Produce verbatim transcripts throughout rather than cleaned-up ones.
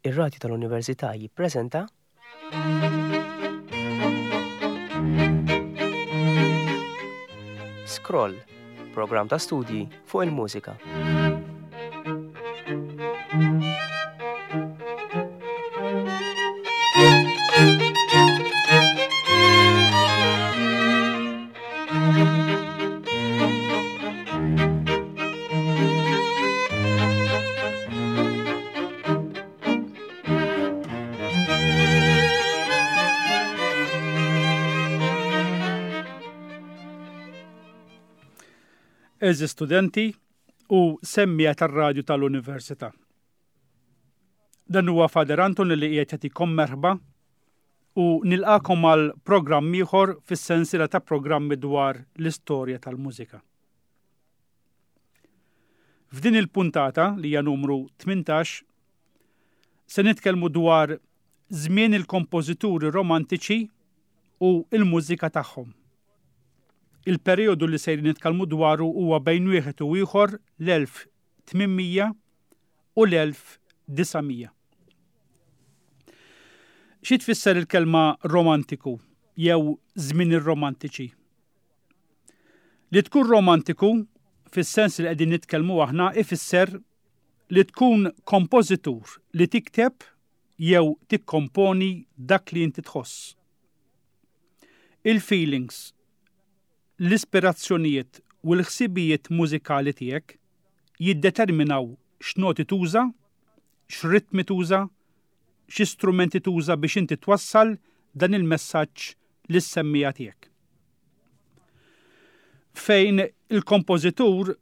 Ir-Radju tal-Università jippreżenta Scroll, programm ta' studji fuq il-mużika. Għeżież studenti u semmiegħa tar-radju tal-Università. Dan huwa Father Anton li qiegħed jagħtikom merħba u nilqakom għal programm ieħor fis-sensiela ta' programmi dwar l-istorja tal-mużika. F'din il-puntata li hija numru tmintax se nitkellmu dwar żmien il-kompożituri romantiċi u l-mużika tagħhom. Il-perjodu li sejrin nitkellmu dwaru huwa bejn wieħed u ieħor l-elf tmien mija u l-elf disa' mija. Xi tfisser il-kelma romantiku jew żmien ir-romantiċi? Li tkun romantiku fis-sens li qegħdin nitkellmu aħna ifisser li tkun kompożitur li tikteb jew tikkomponi dak li inti tħoss. Il-feelings, l-ispirazzjonijiet u l-ħsibijiet mużikali tiegħek jiddeterminaw x'noti tuża, x'ritmi tuża, x'istrumenti tuża biex inti twassal dan il-messaġġ lis-semmija tiegħek. Fejn il-kompożitur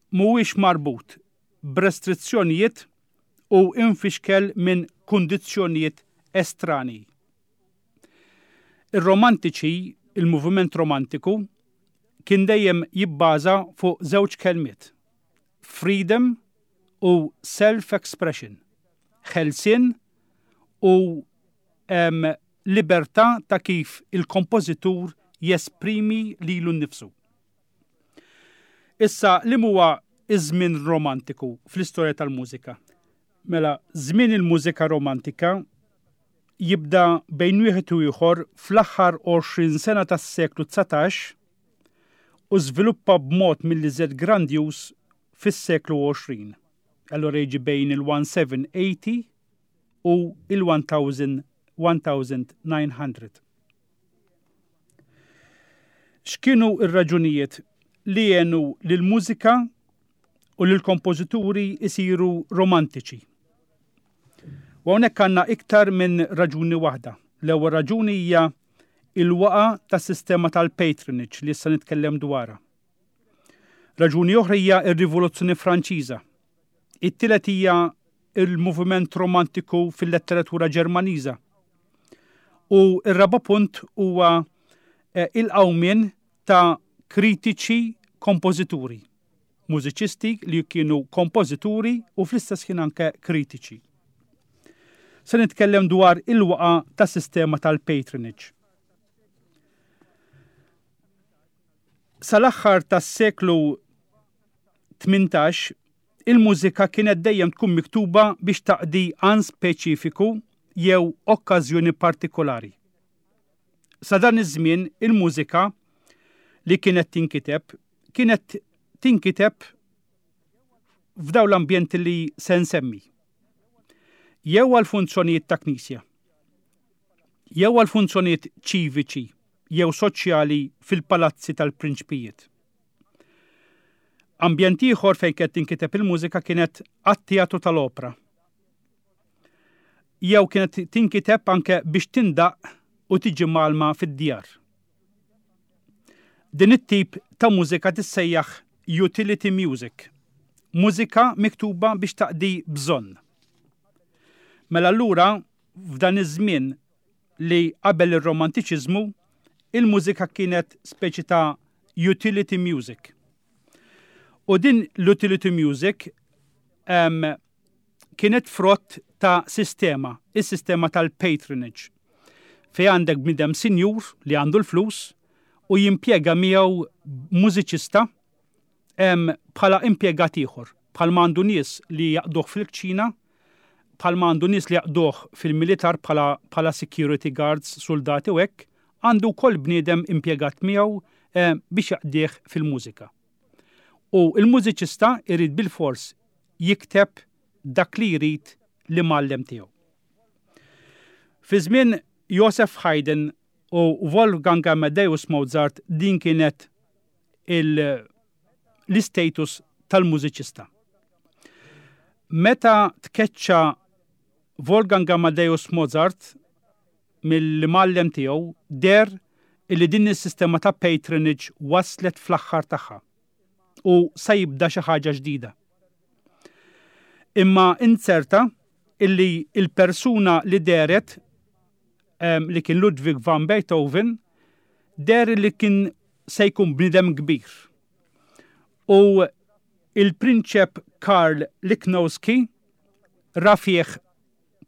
mhuwiex marbut b'restrizzjonijiet u infixkel minn kundizzjonijiet estrani. Ir-romantiċi, il-moviment romantiku, kien dejjem jibbaża fuq żewġ kelmiet, freedom u self-expression, ħelsien u, em, libertà ta' kif il-kompożitur jesprimi lilu nnifsu. Issa, li huwa iż-żmien romantiku fl-istorja tal-mużika? Mela, żmien il-mużika romantika jibda bejn wieħed u ieħor fl-aħħar għoxrin sena tas-seklu dsatax u żviluppa b'mod mill-iżjed grandjuż fis-seklu għoxrin. Allora jiġi bejn il-one seven eighty u il-one thousand, one thousand nine hundred. X'kienu r-raġunijiet li għenu lill-mużika u lill-kompożituri isiru romantiċi? U hawnhekk għandna iktar minn raġuni waħda. L-ewwel raġuni hija il-waqa tas-sistema tal-patronage li issa nitkellem dwarha. Raġuni oħra hija r-Rivoluzzjoni Franċiża. It-tielet hija il-moviment romantiku fil-letteratura Ġermaniża. U r-raba' punt huwa, eh, il-qawmien ta' kritiċi kompożituri, mużiċisti li kienu kompożituri u fl-istess ħin anke kritiċi. Se nitkellem dwar il-waqa tas-sistema tal-patronage. Sal-aħħar tas-seklu tmintax, il-mużika kienet dejjem tkun miktuba biex taqdi għan speċifiku jew okkażjoni partikolari. Sa dan iż-żmien il-mużika li kienet tinkiteb kienet tinkiteb f'dawn l-ambjenti li se nsemmi. Jew għal funzjonijiet ta' knisja, jew għal funzjonijiet ċiviċi jew soċjali fil-palazzi tal-prinċpijiet. Ambjent ieħor fejn kienet tinkiteb il-mużika kienet għat-teatru tal-opra. Jew kienet tinkiteb anke biex tindaq u tiġi malma fid-djar. Din it-tip ta' mużika tissejjaħ utility music, mużika miktuba biex taqdi bżonn. Mela allura f'dan iż-żmien li qabel ir-romantiċiżmu, il-mużika kienet speċi ta' utility music. U din l-utility music, em, kienet frott ta' sistema, is-sistema tal-patronage, fej għandek bniedem sinjur li għandu l-flus u jimpjega miegħu mużiċista, em, bħala impjegat ieħor, bħal ma għandu nies li jaqduh fil-kċina, bħalma għandu nies li jaqduh fil-militar bħala, bħala security guards, soldati u hekk, għandu wkoll bniedem impjegat miegħu eh, biex jaqdih fil-mużika. U il-mużiċista irid bil-fors jikteb dak li jrid l-imgħallem tiegħu. Fi żmien Joseph Haydn u Wolfgang Amadeus Mozart din kienet l-istatus tal-mużiċista. Meta tkeċċa Wolfgang Amadeus Mozart mill-imgħallem tiegħu deher illi din is-sistema ta' patronage waslet fl-aħħar tagħha u sa jibda xi ħaġa ġdida. Imma inzerta illi il-persuna li dehret li kien Ludwig van Beethoven deher li kien se jkun bnidem kbir. U il-prinċep Karl Lichnowsky ra fih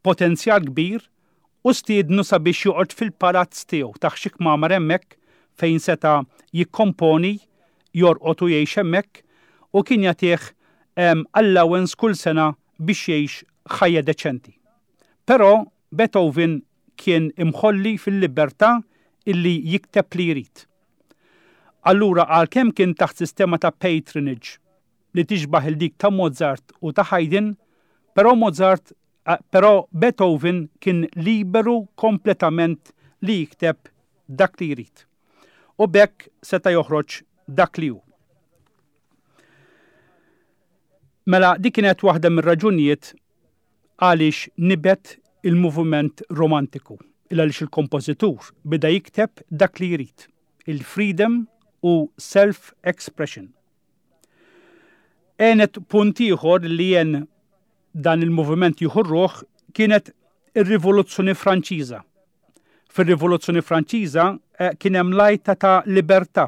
potenzjal kbir u stiednu sabiex joqgħod fil-palazz tiegħu tah xi kmamar hemmhekk fejn seta' jikkomponi, jorqod u jgħix hemmhekk u kien jagħtih allowance kull sena biex jgħix ħajja deċenti. Però Beethoven kien imħolli fil-libertà illi jikteb li jrid. Allura għalkemm kien taħt sistema ta' patronage li tixbaħ il dik ta' Mozart u ta' Haydn, però Mozart, però Beethoven kien liberu kompletament li jikteb dak li jrid. U b'hekk seta' joħroġ dak li hu. Mela dik kienet waħda mir-raġunijiet għaliex nibet il-moviment romantiku, il għaliex il-kompożitur beda jikteb dak li jrid, il-freedom u self-expression. Għenet punt ieħor li jen dan il-moviment jieħu ruħ kienet ir-Rivoluzzjoni Franċiża. Fir-Rivoluzzjoni Franċiża eh, kien hemm l-għajta ta' libertà,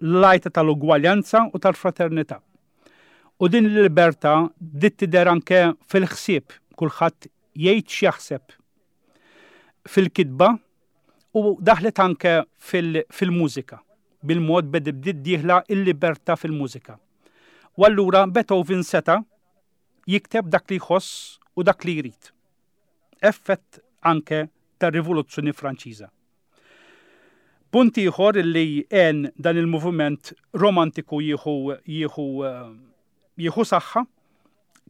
l-għajta tal-ugwaljanza u tal-fraternità. U din il-libertà bdiet tidher anke fil-ħsieb, kulħadd jgħid x'jaħseb fil-kitba u daħlet anke fil-mużika. Bil-mod bdiet dieħla il-libertà fil-mużika. U allura Beethoven seta' jikteb dak li jħoss u dak li jrid. Effett anke tar-Rivoluzzjoni Franċiża. Punt ieħor li għen dan il-moviment romantiku jieħu jieħu jieħu saħħa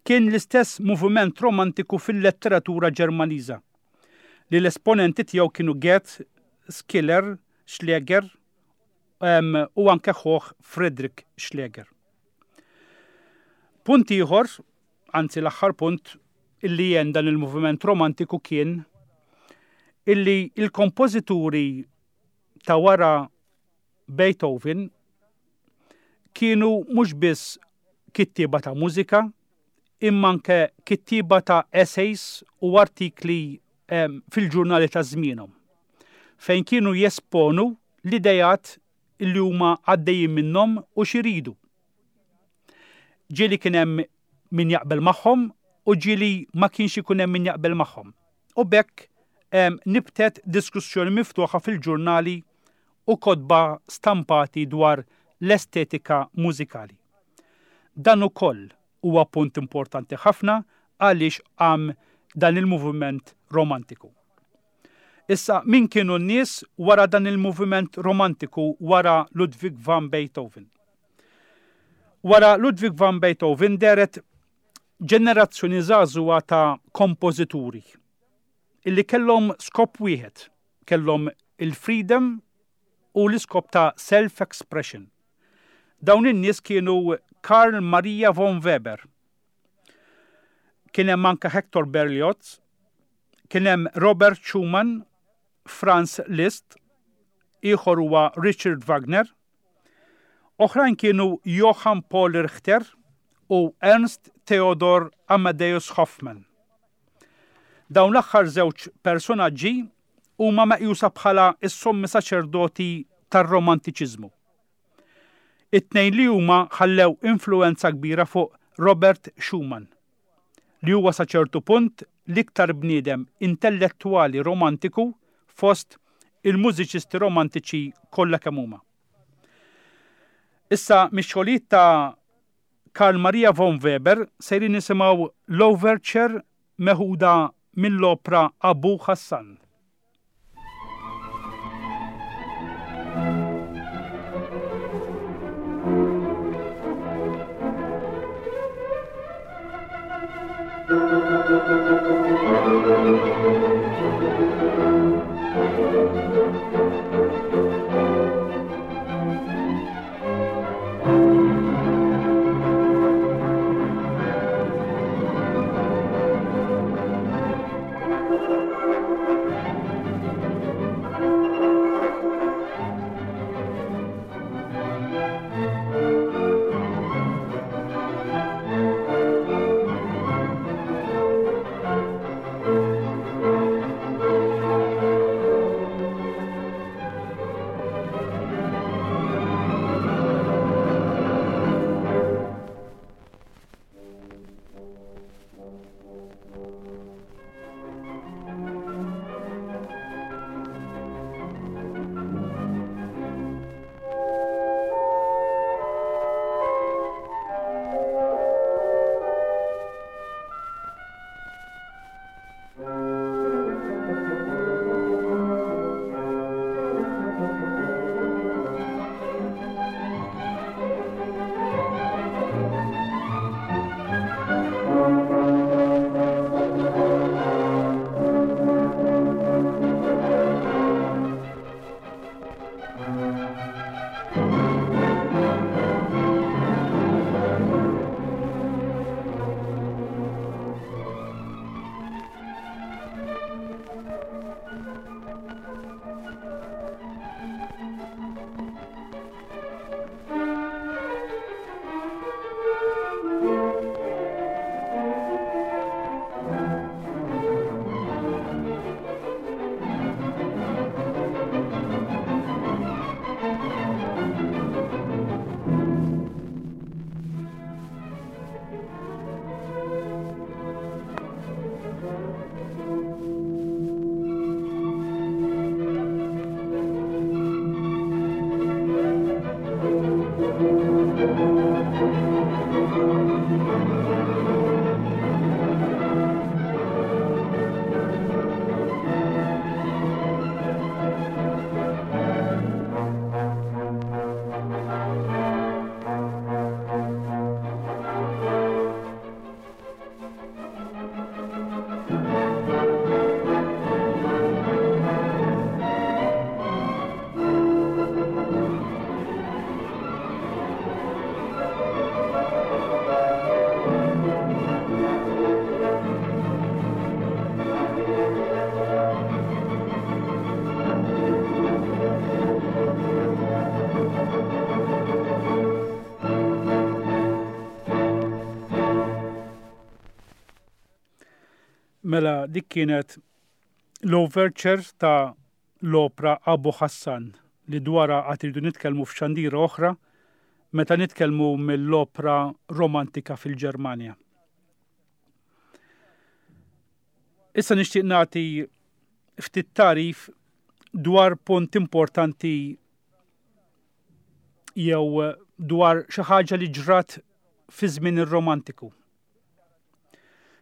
kien l-istess moviment romantiku fil-letteratura Ġermaniża li l-esponenti tiegħu kienu Goethe, Schiller, Schlegel u anke ħuh Friedrich Schlegel. Punt ieħor, anzi l-aħħar punt illi jen dan il-moviment romantiku kien illi il-kompożituri ta' wara Beethoven kienu mhux biss kittieba ta' mużika, imma anke kittieba ta' essays u artikli fil-ġurnali ta' żmienhom, fejn kienu jesponu l-idejat illi huma għaddejjin minnhom u x'iridu. Ġieli kien hemm min jaqbel magħhom u ġieli ma kienx ikun hemm min jaqbel magħhom. U b'hekk nibtet diskussjoni miftuħa fil-ġurnali u kotba stampati dwar l-estetika mużikali. Dan ukoll huwa punt importanti ħafna għaliex qam dan il-moviment romantiku. Issa, min kienu n-nies wara dan il-moviment romantiku wara Ludwig van Beethoven? Wara Ludwig van Beethoven dehret ġenerazzjoni żagħżugħa ta' kompożituri illi kellhom skop wieħed, kellhom il-freedom u l-iskop ta' self-expression. Dawn in-nies kienu Karl Maria von Weber, kien hemm anke Hector Berlioz, kien hemm Robert Schumann, Franz Liszt, ieħor huwa Richard Wagner, oħrajn kienu Johann Paul Richter u Ernst Theodor Amadeus Hoffmann. Dawn l-aħħar żewġ personaġġi huma meqjusa bħala s-sommi saċerdoti tar-romantiċiżmu. It-tnejn li huma ħallew influenza kbira fuq Robert Schumann, li huwa sa ċertu punt l-iktar bniedem intellettwali romantiku fost il-mużiċisti romantiċi kollha kemm huma. Issa mix-xogħlijiet ta' Carl Maria von Weber sejrin nisimgħu l-Overture meħuda mill-opra Abu Hassan. Mela dik kienet l-overture ta' l-opra Abu Hassan li dwarha għad irridu nitkellmu f'xandira oħra meta nitkellmu mill-opra romantika fil-Ġermanja. Issa nixtieq nagħti ftit tarif dwar punt importanti jew dwar xi ħaġa li ġrat fi żmien ir-Romantiku.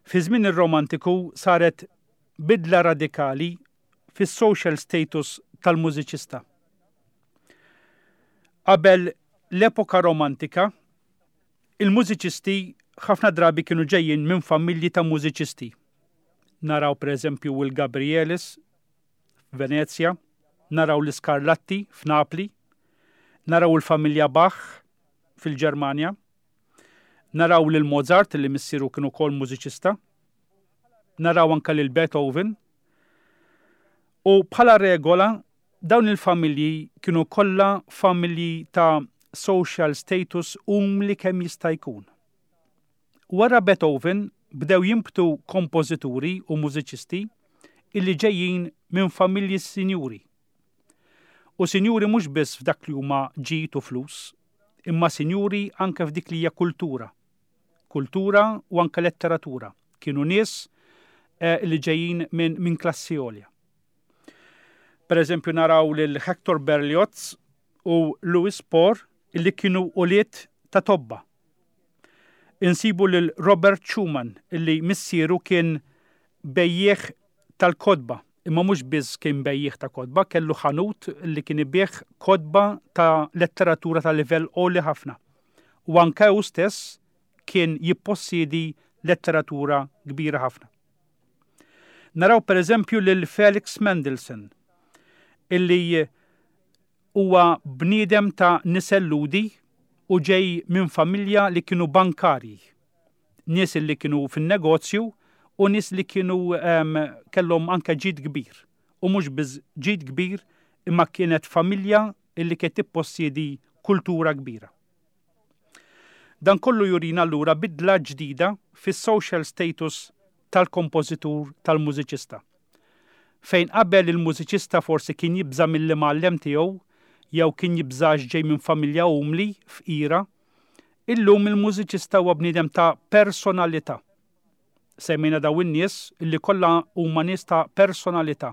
Fi żmien ir-Romantiku saret bidla radikali fis-social status tal-mużiċista. Qabel l-epoka romantika, il-mużiċisti ħafna drabi kienu ġejjin minn familji ta' mużiċisti. Naraw pereżempju il-Gabrielis f'Venezja, naraw l-Scarlatti f'Napli, naraw il-familja Bach fil-Ġermanja, naraw lil Mozart li missieru kien ukoll mużiċista, naraw anke lil Beethoven. U bħala regola dawn il-familji kienu kollha familji ta' social status umli kemm jista' jkun. Wara Beethoven bdew jinbtu kompożituri u mużiċisti illi ġejjin minn familji sinjuri. U sinjuri mhux biss f'dak li huma ġid u flus, imma sinjuri anke f'dik li hija kultura. Kultura u anke letteratura. Kienu nies eh, li ġejjin minn min klassi għolja. Per eżempju naraw lil Hector Berlioz u Louis Spohr illi kienu ulied ta' tobba. Insibu lil Robert Schumann illi missieru kien bejjiegħ tal-kotba, imma mhux biss kien bejjiegħ ta' kotba, kellu ħanut li kien ibigħ kotba ta' letteratura ta' livell għoli ħafna. U anke hu stess kien jippossiedi letteratura kbira ħafna. Naraw per eżempju lil Felix Mendelssohn, illi huwa bniedem ta' nisel Lhudi u ġej minn familja li kienu bankari, nies li kienu fin-negozju u nies li kienu um, kellhom anke ġid kbir. U mhux biss ġid kbir, imma kienet familja illi kienet tippossiedi kultura kbira. Dan kollu jurina allura bidla ġdida fis-social status tal-kompożitur tal-mużiċista. Fejn qabel il-mużiċista forsi kien jibża mill-imgħallem tiegħu jew kien jibża ġej minn familja umli, fqira, illum il-mużiċista huwa bniedem ta' personalità. Semmejna daw in-nies illi kollha huma nies ta' personalità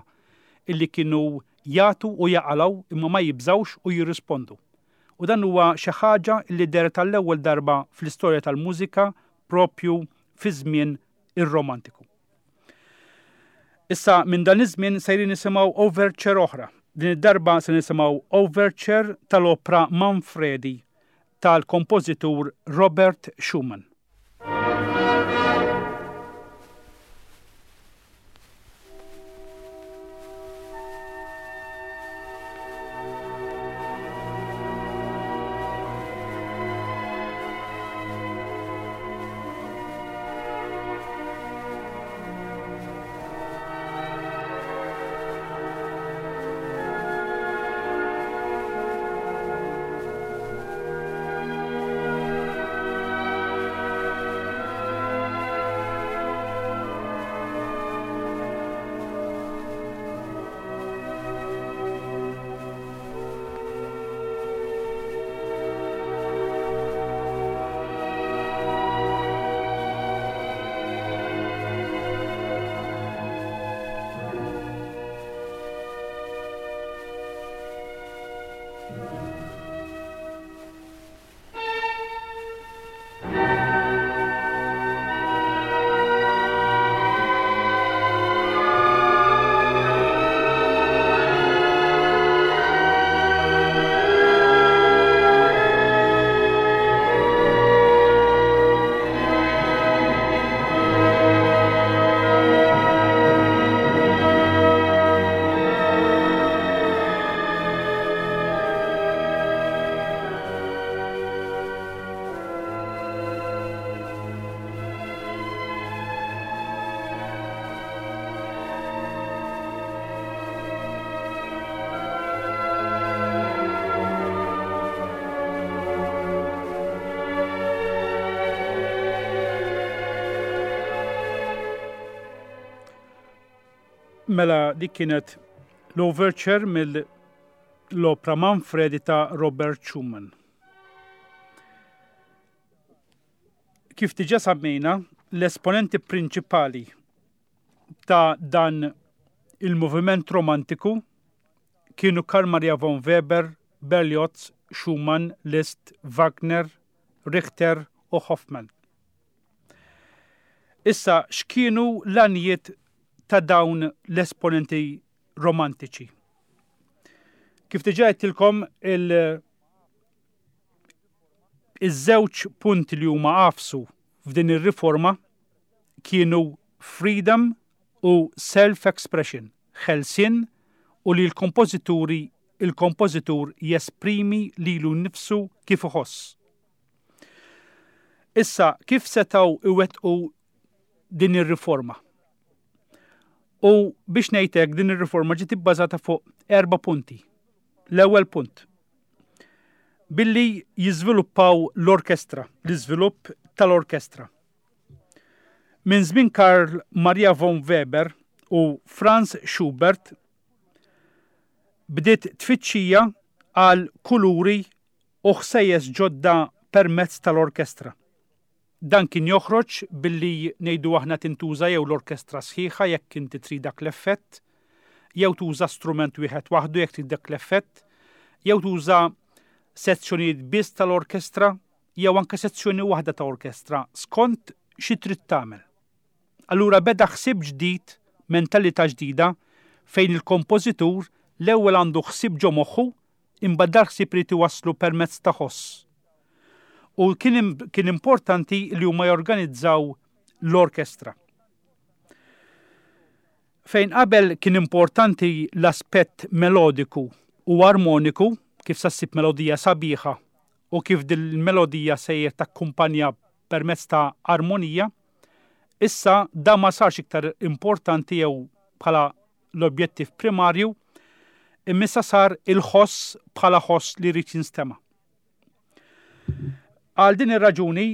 illi kienu jagħtu u jaqalgħu imma ma jibżawx u jirrispondu. U dan huwa xi ħaġa li dehret tal-ewwel darba fl-istorja tal-mużika propju fi żmien ir-Romantiku. Issa minn dan iż-żmien sejrin nisimgħu overture oħra. Din id-darba se nisimgħu overture tal-opra Manfredi tal-kompożitur Robert Schumann. Mela dik kienet l-overture mill-opra Manfredi ta' Robert Schumann. Kif diġà semmejna, l-esponenti prinċipali ta' dan il-moviment romantiku kienu Carl Maria von Weber, Berlioz, Schumann, Liszt, Wagner, Richter u Hoffmann. Issa, x'kienu l-għanijiet ta' dawn l-esponenti romantiċi? Kif diġà għedtilkom il- iż-żewġ punti li huma għafsu f'din ir-riforma kienu freedom u self-expression, ħelsien u li l-kompożituri il-kompożitur jesprimi lilu nnifsu kif iħoss. Issa, kif setgħu iwettqu din ir-riforma? U biex ngħidlek, din ir-riforma ġiet ibbażata fuq erba' punti. L-ewwel punt, billi jiżviluppaw l-orkestra, l-iżvilupp tal-orkestra. Minn żmien Karl Maria von Weber u Franz Schubert bdiet tfittxija għal kuluri u ħsejjes ġodda permezz tal-orkestra. Dan kien joħroġ billi ngħidu aħna tintuża jew l-orkestra sħiħa jekk inti trid dak l-effett, jew tuża strument wieħed waħdu jekk trid dak l-effett, jew tuża sezzjonijiet biss tal-orkestra, jew anke sezzjoni waħda ta' orkestra skont xi trid tagħmel. Allura beda ħsieb ġdid, mentalità ġdida fejn il-kompożitur l-ewwel għandu ħsieb ġo moħħu imbagħad dal-ħsieb irid iwasslu permezz ta' ħoss. U kien, kien importanti li huma jorganizzaw l-orkestra. Fejn qabel kien importanti l-aspett melodiku u armoniku, kif sa ssib melodija sabiħa u kif din il-melodija sejjer takkumpanja permezz ta' armonija, issa da ma sarx iktar importanti jew bħala l-objettiv primarju, imma issa sar il-ħoss bħala ħoss li jrid jinstema'. Għal din ir-raġuni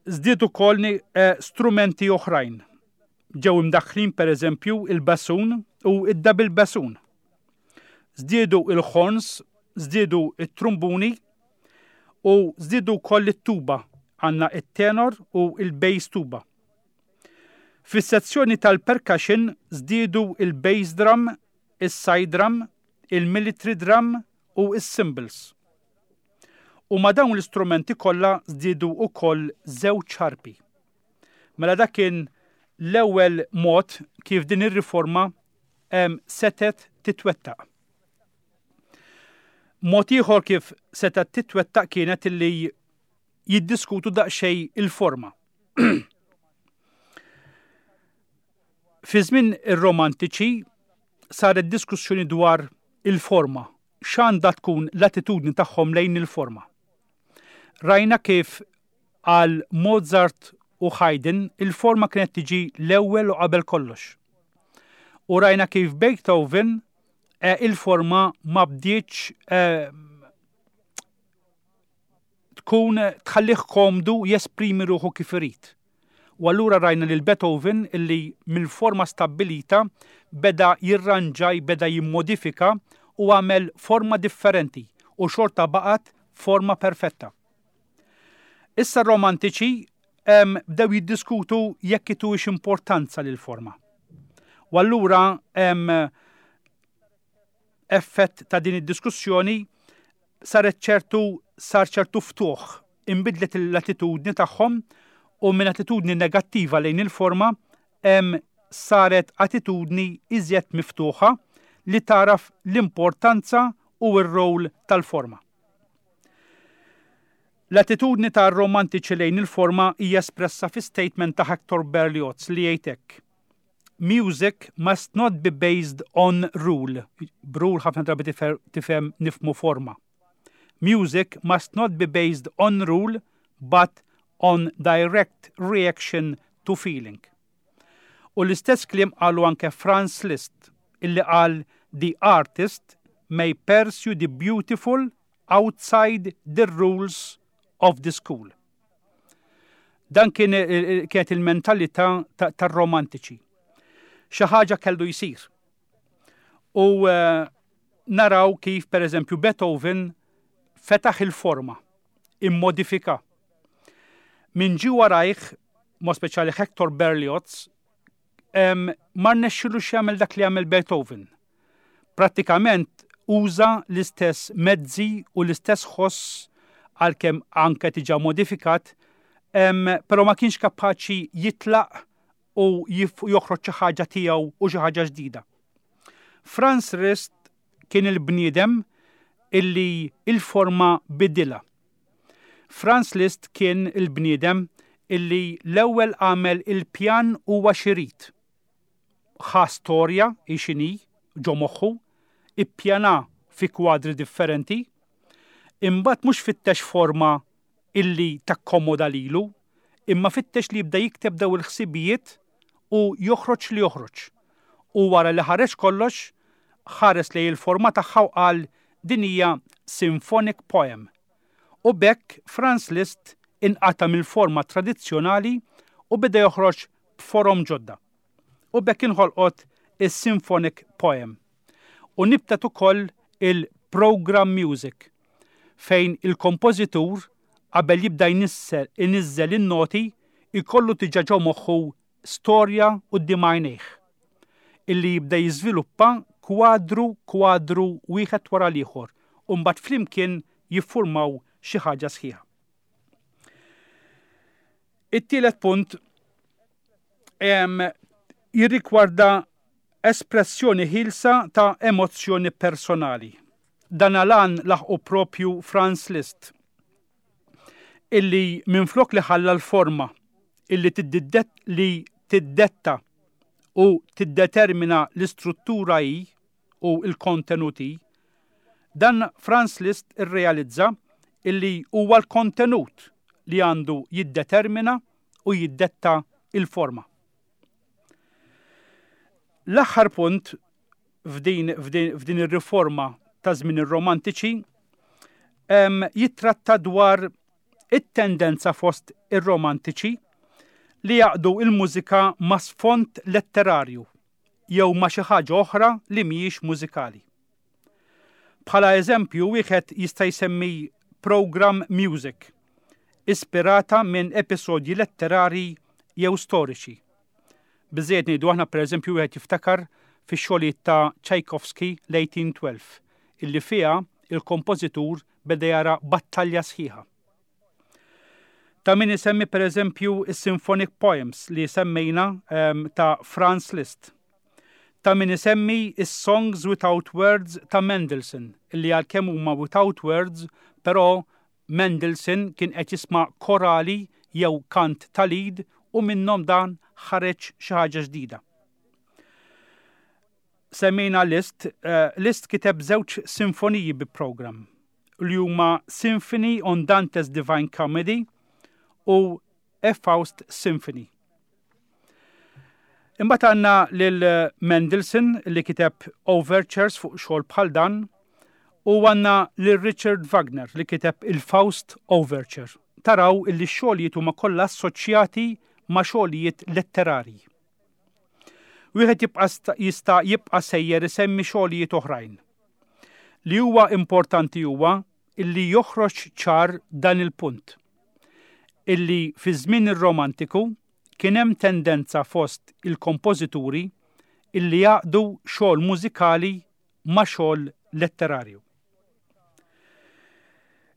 żdiedu ukoll eh, strumenti oħrajn. Ġew imdaħħlin pereżempju il-bassoon u id-double bassoon. Żdiedu il-horns, żdiedu it-trumbuni u żdiedu wkoll it-tuba għandna it-tenor u il-bass tuba. Fis-sezzjoni tal-percussion żdiedu il-bass drum, is-side drum, il-military drum u is-cymbals. U ma dawn l-istrumenti kollha żdiedu wkoll żewġ arpi. Mela dak kien l-ewwel mod kif din ir-riforma setet titwettaq. Mod ieħor kif setet titwettaq kienet illi jiddiskutu daqsxejn il-forma. Fi żmien ir-Romantiċi saret diskussjoni dwar il-forma, x'għandha tkun l-attitudni tagħhom lejn il-forma. Rajna kif għal Mozart u Haydn il-forma kienet tiġi l-ewwel u qabel kollox. U rajna kif Beethoven eh, il-forma ma bdietx eh, tkun tħallih komdu jesprimi ruħu kif irid. U allura rajna lil Beethoven illi mill-forma stabbilita beda jirranġa, beda jimmodifika u għamel forma differenti u xorta baqgħet forma perfetta. Issa romantiċi bdew jiddiskutu jekk ituhiex importanza lil forma. U allura effett ta' din id-diskussjoni saret ċertu sar ċertu ftuħ, inbidlet l-attitudni tagħhom u minn attitudni negattiva lejn il-forma saret attitudni iżjed miftuħa li taraf l-importanza u r-rol tal-forma. L-attitudni tar-romantiċi lejn il-forma hija espressa fi statement ta' Hector Berlioz li jgħid hekk. Music must not be based on rule. B'rule ħafna drabi tifhem nifhmu forma. Music must not be based on rule, but on direct reaction to feeling. U l-istess kliem qalu anke Franz Liszt, illi qal the artist may pursue the beautiful outside the rules of the school. Dan kien kienet il-mentalità tar-romantiċi. Xi ħaġa kellu jsir. U uh, naraw kif pereżempju Beethoven fetaħ il-forma, immodifika. Min ġie warajh, mod speċjali Hector Berlioz, um, ma rnexxilux jagħmel dak li għamel Beethoven. Prattikament uża l-istess mezzi u l-istess ħoss għalkemm anke diġà modifikat, um, però ma kienx kapaċi jitlaq u joħroġ xi ħaġa tiegħu u xi ħaġa ġdida. Franz Liszt kien il-bniedem illi il-forma bidilha. Franz Liszt kien il-bniedem illi l-ewwel għamel il-pjan huwa x'irid. Ħa storja x'inhi ġo moħħu, ippjana fi kwadri differenti, imbagħad mhux fittex forma illi takkomoda lilu, imma fittex li jibda jikteb daw il-ħsibijiet u joħroġ li joħroġ. U wara li ħareġ kollox, ħares li il-forma tagħha u qal din hija symphonic poem. U b'hekk Franz Liszt inqata mill-forma tradizzjonali u beda joħroġ b'forom ġodda. U b'hekk inħolqot is-symphonic poem. U nibtet ukoll il-program music fejn il-kompożitur qabel jibda jnissel iniżżel in-noti ikollu diġà ġo moħħu storja quddiem għajnejh illi jibda jiżviluppa kwadru kwadru wieħed wara l-ieħor u mbagħad flimkien jiffurmaw xi ħaġa sħiħa. It-tielet punt jirrigwarda espressjoni ħielsa ta' emozzjoni personali. Dan għalan laħqu propju Franz Liszt, illi minflok li ħalla l-forma illi tiddet li tiddetta u tiddetermina l-istruttura hi u l-kontenuti, dan Franz Liszt irrealizza illi huwa l-kontenut li għandu jiddetermina u jiddetta il-forma. L-aħħar punt f'din, f'din, f'din ir-riforma ta' żmien ir-romantiċi jittratta dwar it-tendenza fost ir-romantiċi li jaqdu il-mużika ma' sfond letterarju jew ma' xi ħaġa oħra li mhijiex mużikali. Bħala eżempju wieħed jista' jsemmi program music, ispirata minn episodji letterari jew storiċi. Biżejjed ngħidu aħna pereżempju wieħed jiftakar fix-xogħlijiet ta' Tchaikovsky l-eighteen twelve, illi fiha il-kompożitur beda jara battalja sħiħa. Ta' min isemmi pereżempju is-Symphonic Poems li semmejna, ehm, ta' Franz Liszt. Ta' min isemmi is-Songs Without Words ta' Mendelssohn, illi għalkemm huma without words, però Mendelssohn kien qed jisma' korali jew kant tal-id u minnhom dan ħareġ xi ħaġa ġdida. Semmejna Liszt, eh, Liszt kiteb żewġ sinfoniji bi program li huma Symphony on Dante's Divine Comedy u A Faust Symphony. Imbagħad għandna lil Mendelssohn li kiteb overtures fuq xogħol bħal dan u għandna lil Richard Wagner li kiteb il-Faust Overture. Taraw illi x-xogħlijiet huma kollha assoċjati ma' xogħlijiet letterarji. Wieħed jibqa' sta-, jista' jibqa' sejjer isemmi xogħlijiet oħrajn. Li huwa importanti huwa illi joħroġ ċar dan il-punt. Illi fi żmien ir-romantiku kien hemm tendenza fost il-kompożituri illi jaqdu xogħol mużikali ma' xogħol letterarju.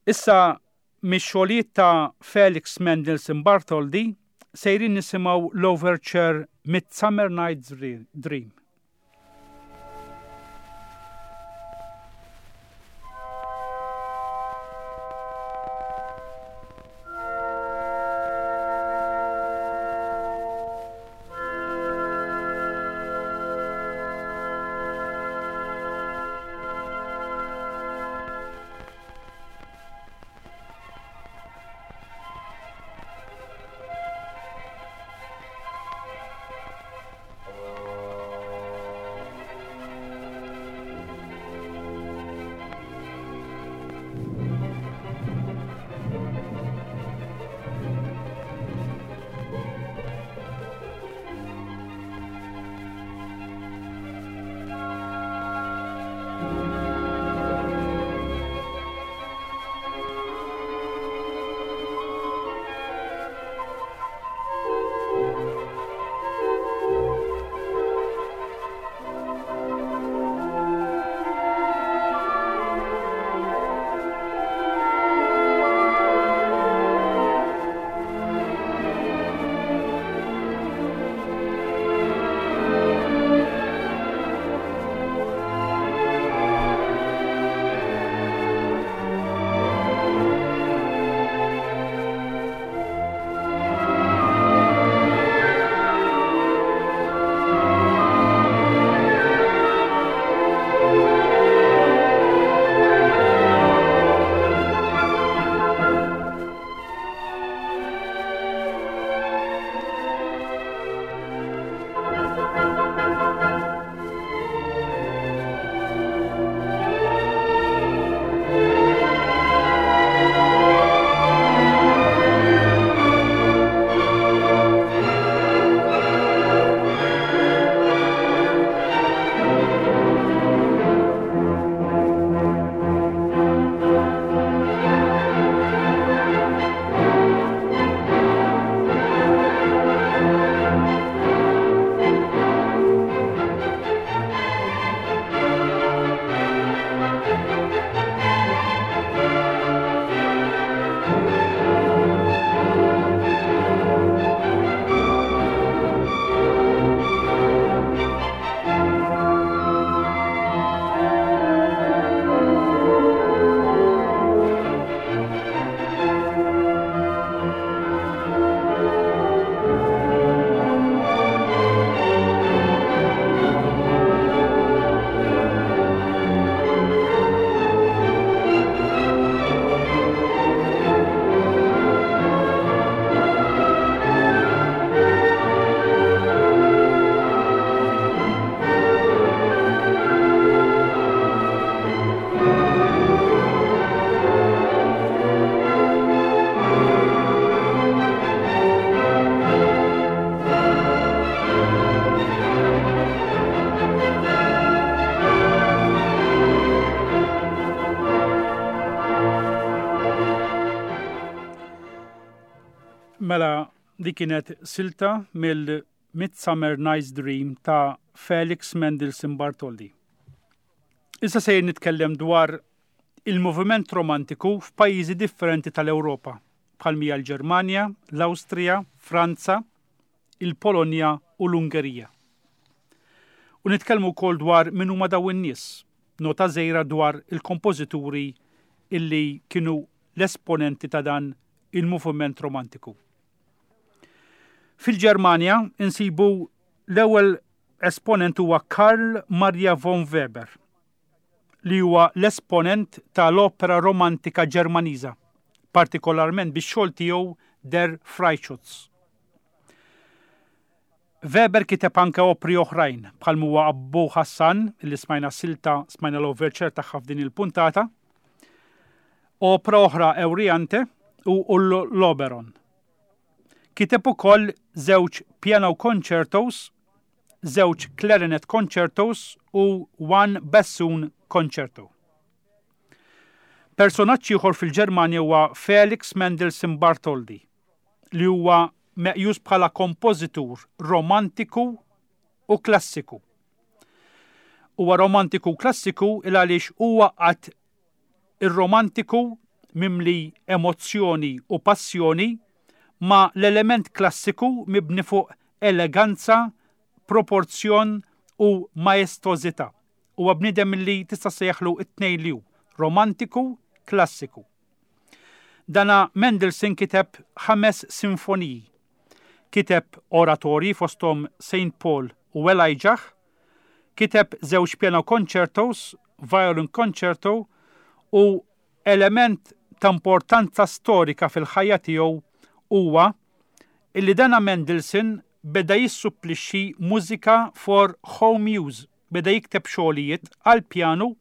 Issa mix-xogħlijiet ta' Felix Mendelssohn Bartholdy sejrin nisimgħu l-overture Midsummer Night's Dream. Thank you. Dik kienet silta mill-Midsummer Night's Dream ta' Felix Mendelssohn Bartholdy. Issa se nitkellem dwar il-moviment romantiku f'pajjiżi differenti tal-Ewropa, bħal mija l-Ġermanja, l-Awstrija, Franza, il-Polonja u l-Ungerija. U nitkellmu wkoll dwar min huma dawn in-nies, nota żgħira dwar il-kompożituri illi kienu l-esponenti ta' dan il-moviment romantiku. Fil-Ġermanja insibu l-ewwel esponent huwa Karl Maria von Weber, li huwa l-esponent tal-opera romantika Ġermaniża, partikolarment bix-xogħol tiegħu Der Freischütz. Weber kiteb anke opri oħrajn bħal huwa Abu Hassan li smajna silta, smajna l-overture tagħha f'din il-puntata, opera oħra Euryanthe u l-Oberon. Kiteb ukoll żewġ piano concertos, żewġ clarinet concertos u one bassoon concerto. Personaġġ ieħor fil-Ġermanja huwa Felix Mendelssohn Bartholdy, li huwa meqjus bħala kompożitur romantiku u klassiku. Huwa romantiku u klassiku il għaliex huwa għaqqad ir-romantiku mimli emozzjoni u passjoni ma l-element klassiku mibni fuq eleganza, proporzjon u maestożità. Huwa bniedem li tista' sejjaħlu it-tnejn li hu, romantiku, klassiku. Dana Mendelssohn kiteb ħames sinfoniji. Kiteb oratorji, fosthom Saint Paul u Elijah, kiteb żewġ piano concertos, violin concerto u element ta' importanza storika fil-ħajja tiegħu huwa illi dana Mendelssohn beda jissupplixxi mużika for home use, beda jikteb xogħlijiet għal pjanu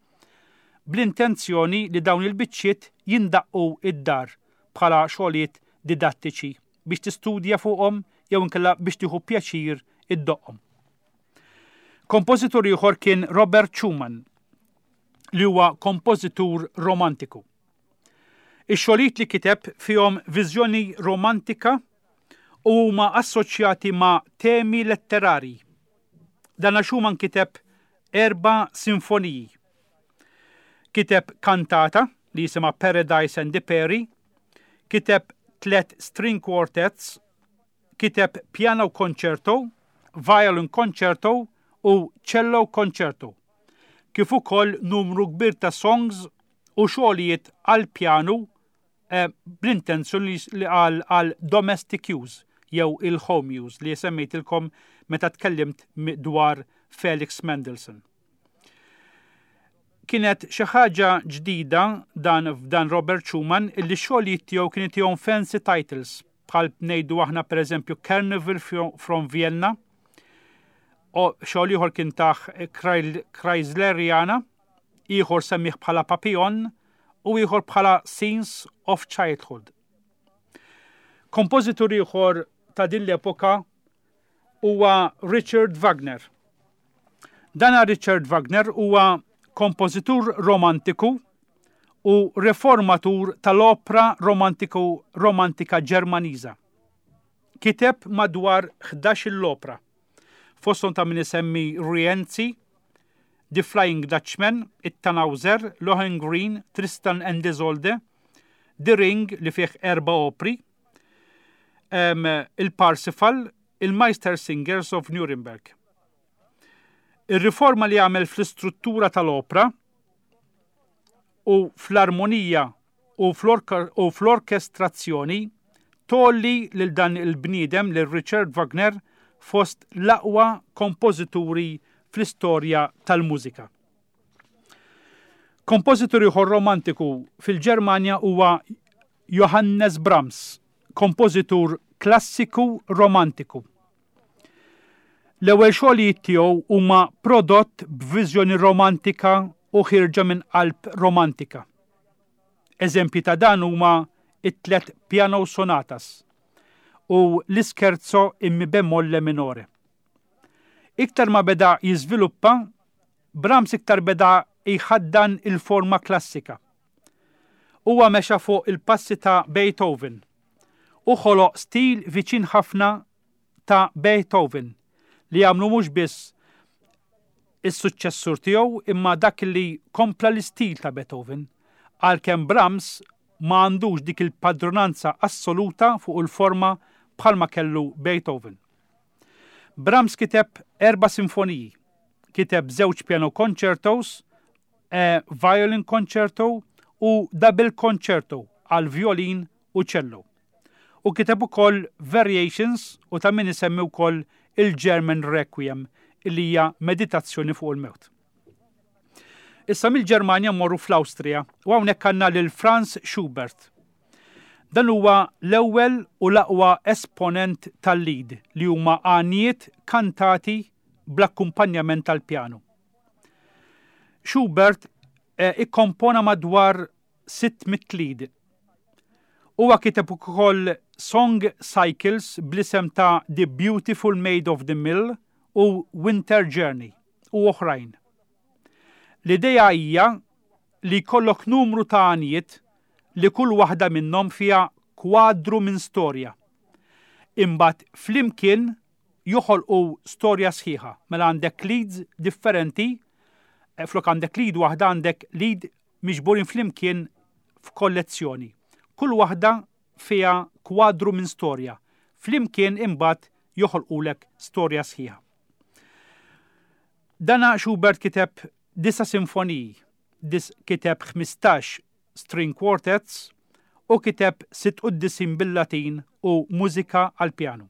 bl-intenzjoni li dawn il-biċċiet jindaqqu id-dar bħala xogħlijiet didattiċi biex tistudja fuqhom jew inkella biex tieħu pjaċir iddoqqhom. Kompożitur ieħor kien Robert Schumann, li huwa kompożitur romantiku. Ix-xogħlijiet li kiteb fihom viżjoni romantika u huma assoċjati ma' temi letterari. Dana Schumann kiteb erba' sinfoniji. Kiteb kantata li jisimha Paradise and the Peri, kiteb tlet string quartets, kiteb piano concerto, violin concerto u cello concerto, kif ukoll numru kbir ta' songs u xogħlijiet għal pjanu eh, bl-intenzjoni li għal, għal domestic use jew il-home use li semmejtilkom meta tkellimt dwar Felix Mendelssohn. Kienet xi ħaġa ġdida dan f'dan Robert Schumann illi xogħlijiet tiegħu kien jtihom fancy titles, bħal ngħidu aħna, pereżempju, Carnival from Vienna, u xogħol ieħor kien tah Kreisleriana, ieħor semmih bħala Papillon u ieħor bħala Scenes of Childhood. Kompożitur ieħor ta' din l-epoka huwa Richard Wagner. Dana Richard Wagner huwa kompożitur romantiku u reformatur tal-opra romantiku romantika Ġermaniża. Kiteb madwar ħdax-il opra. Fosthom ta' min isemmi Rienzi, The Flying Dutchman, It-Tannhauser, Lohengrin, Tristan and Isolde, The Ring li fih erba' opri, um, il-Parsifal, il-Meistersingers of Nuremberg. Ir-riforma li għamel fl-istruttura tal-opra u fl-armonija u fl-orkestrazzjoni tgħolli lil dan il-bniedem, lil Richard Wagner, fost l-aqwa kompożituri fl-istorja tal-mużika. Kompożitur ieħor romantiku fil-Ġermanja huwa Johannes Brahms, kompożitur klassiku romantiku. L-ewwel xogħlijiet tiegħu huma prodott b'viżjoni romantika u ħirġa minn qalb romantika. Eżempji ta' dan huma it-tlet piano sonatas u l-ischerzo in mi bemolle minore. Iktar ma beda jiżviluppa, Brahms iktar beda jħaddan il-forma klassika. Huwa mexa fuq il-passi ta' Beethoven U ħoloq stil viċin ħafna ta' Beethoven li għamlu mhux biss is-suċċessur tiegħu imma dak li kompla l-istil ta' Beethoven, għalkemm Brahms ma għandux dik il-padronanza assoluta fuq il-forma bħalma kellu Beethoven. Brahms kiteb erba' sinfoniji, kiteb żewġ piano concertos, e violin concerto u double concerto għal violin u cello. U kiteb ukoll variations u ta' min isemmi wkoll il-German Requiem illi hija meditazzjoni fuq il-mewt. Issa mill-Ġermanja mmorru fl-Awstrija u hawnhekk għandna lil Franz Schubert. Dan huwa l-ewwel u l-aqwa esponent tal-Lied li huma għanijiet kantati bl-akkumpanjament tal-pjanu. Schubert eh, ikkompona madwar sitt mitt Lied. Huwa kiteb ukoll song cycles bl-isem ta' The Beautiful Maid of the Mill u Winter Journey u oħrajn. L-idea hija li jkollok numru ta' għanijiet li kull waħda minnhom fiha kwadru minn storja. Imbagħad flimkien joħolqu storja sħiħa. Mela għandek leads differenti, eh, flok għandek lead waħda għandek lead miġburin flimkien f'kollezzjoni. Kull waħda fiha kwadru minn storja. Flimkien imbagħad joħolqulek storja sħiħa. Dana Schubert kiteb disa' sinfoniji, dis kiteb ħmistax string quartets u kiteb sitt quddisin bil-Latin u mużika għal-pjanu.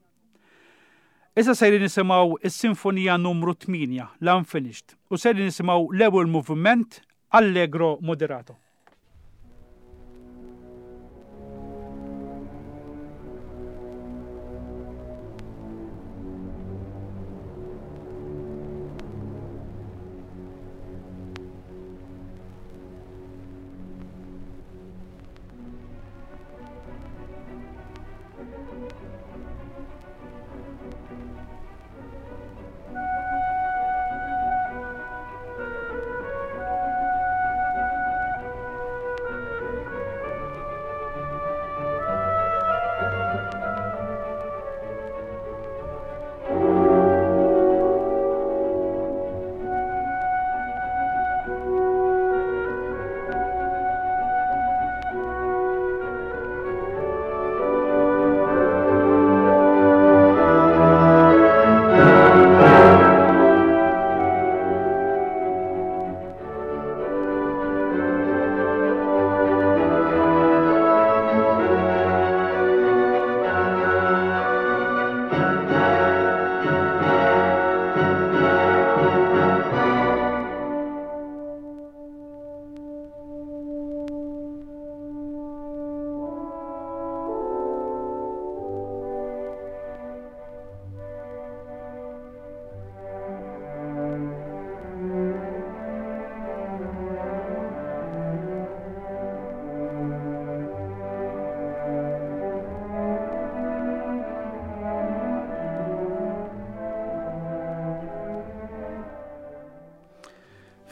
Issa sejrin nisimgħu is-sinfonija numru tmienja, l-Unfinished, u sejrin nisimgħu l-ewwel moviment Allegro Moderato.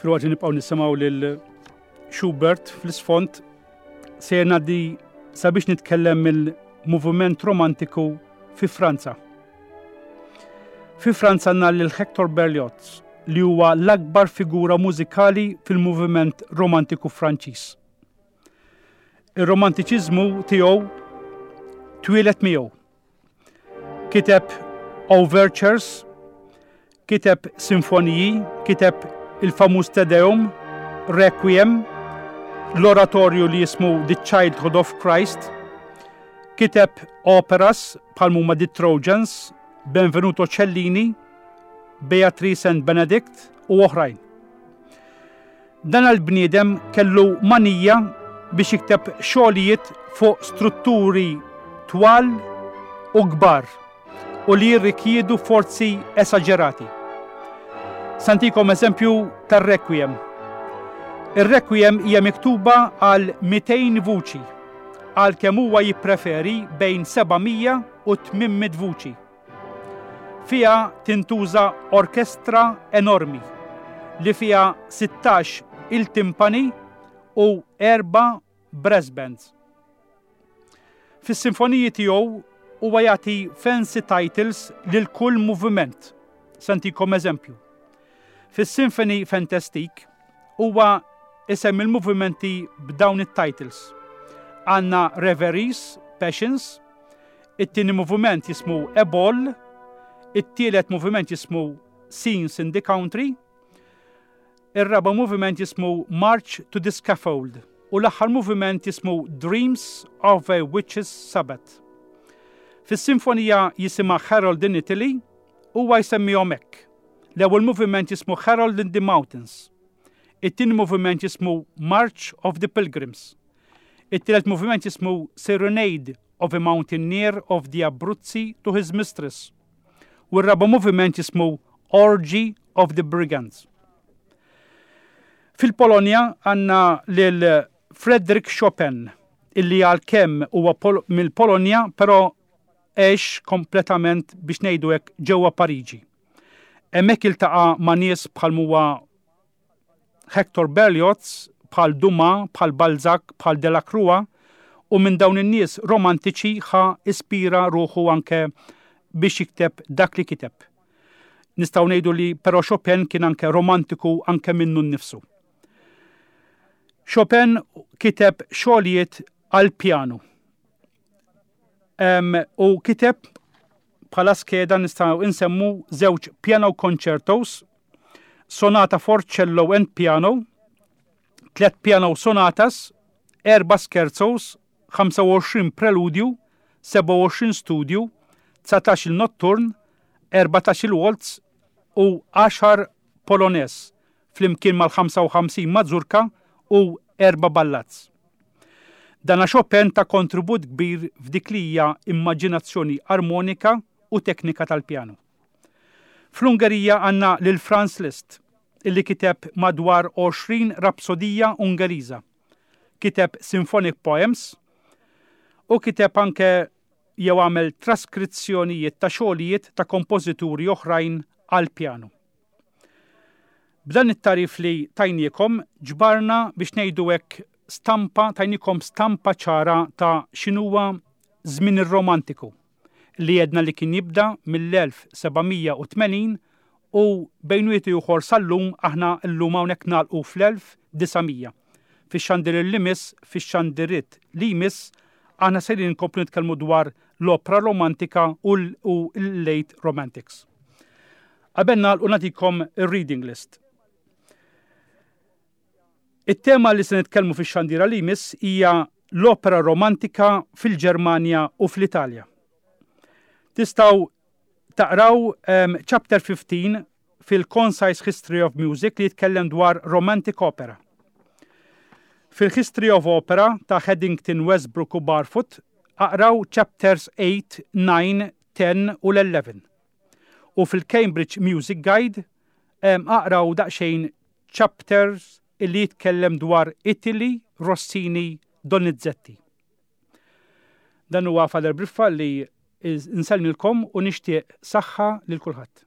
Filwaqt li nibqgħu nisimgħu lil Schubert fl-isfond, se ngħaddi sabiex nitkellem mill-moviment romantiku fi Franza. Fi Franza għandna lil Hector Berlioz, li huwa l-akbar figura mużikali fil-moviment romantiku Franċiż. Ir-romantiċiżmu tiegħu twieled miegħu. Kiteb overtures, kiteb sinfoniji, kiteb il-famuż Te Deum, Requiem, l-oratorju li jismu The Childhood of Christ, kiteb operas bħal huma The Trojans, Benvenuto Cellini, Beatrice and Benedict u oħrajn. Dan għal-bniedem kellu manija biex jikteb xogħlijiet fuq strutturi twal u kbar u li jirrikjedu forzi esaġerati. Santikom eżempju tar-Requiem. Ir-Requiem hija miktuba għal mitejn vuċi, għal kemm huwa jippreferi bejn seba' mija u tmien mitt vuċi. Fiha tintuża orkestra enormi li fiha sittax il-timpani u erba' brass bands. Fis-sinfoniji tiegħu huwa jagħti fancy titles lil kull moviment. Se ntikom eżempju. Fis-Symphonie Fantastique huwa isemmi il-movimenti b'dawn it-titles. Għandna Reveries, Passions, it-tieni moviment jismu A Ball, it-tielet moviment jismu Scenes in the Country, ir-raba moviment jismu March to the Scaffold u l-aħħar moviment jismu Dreams of a Witch's Sabbath. Fis-sinfonija jisimha Harold in Italy huwa jsemmihom hekk. L-ewwel moviment jismu Harold in the Mountains. It-tieni moviment jismu March of the Pilgrims. It-tielet moviment jismu Serenade of a Mountaineer of the Abruzzi to his Mistress. U r-raba moviment jismu Orgy of the Brigands. Fil-Polonja għandna lil Frederick Chopin, illi għalkemm huwa mill-Polonja, però għex kompletament, biex ngħidu hekk, ġewwa Pariġi. Hemmhekk iltaqa' ma' nies bħal huwa Hector Berlioz, bħal Dumas, bħal Balzac, bħal Delacroix, u minn dawn in-nies romantiċi ħa ispira ruħu anke biex jikteb dak li kiteb. Nistgħu ngħidu li però Chopin kien anke romantiku anke minnu nnifsu. Chopin kiteb xogħlijiet għal pjanu. Um, u kiteb bħala skeda nistgħu insemmu żewġ piano concertos, sonata for cello and piano, tlet piano sonatas, erba scherzos, ħamsa u għoxrin preludju, sebgħa u għoxrin studju, dsatax il-notturn, erbatax il-waltz u għaxar polonaise, flimkien mal-ħamsa u ħamsin mazurka u erba ballads. Dana Chopin ta kontribut kbir f'dik li hija immaġinazzjoni armonika u teknika tal-pjanu. Fl-Ungerija għandna lil Franz Liszt, illi kiteb madwar għoxrin rapsodija Ungeriża. Kiteb symphonic poems u kiteb anke jew għamel traskrizzjonijiet ta' xogħlijiet ta' kompożituri oħrajn għal pjanu. B'dan it-tagħrif li tajniekom ġbarna, biex ngħidu hekk, stampa, tajniekom stampa ċara ta' x'inhuwa żmien ir-romantiku li jedna li kien jibda mill-elf seba' mija u tmenin u bejn wieħed ieħor sal-lum. Aħna llum hawnhekk nagħlqu fl-elf disa' mija. Fix-xandir li jmiss, fix-xandiriet li jmiss, aħna sejrin nkomplu nitkellmu dwar l-opera romantika u l-late romantics. Qabel nagħlqu nagħtikom ir-reading list. It-tema li se nitkellmu fix-xandira li jmiss hija l-opera romantika fil-Ġermanja u fl-Italja. Tistgħu taqraw um, chapter ħmistax fil-Concise History of Music li jitkellem dwar Romantic Opera. Fil-History of Opera ta' Headington, Westbrook u Barfoot aqraw chapters tmienja, disa, għaxra u l-għoxra. U fil-Cambridge Music Guide um, aqraw daqsxejn chapters illi jitkellem dwar Italy, Rossini, Donizetti. Dan huwa Father Briffa li nsellmilkom u nixtieq saħħa lil kulħadd.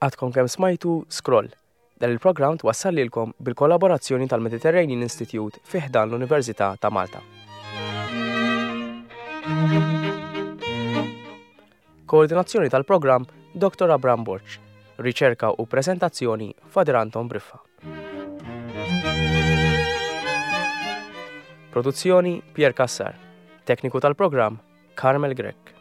Għadkom kemm smajtu Scroll. Dan il-programm twassal lilkom bil-kollaborazzjoni tal-Mediterranean Institute fi ħdan l-Università ta' Malta. Koordinazzjoni tal-programm Doktor Abram Borg. Riċerka u prezentazzjoni Father Anton Briffa. Produzzjoni Pier Cassar. Tekniku tal-programm Carmel Grech.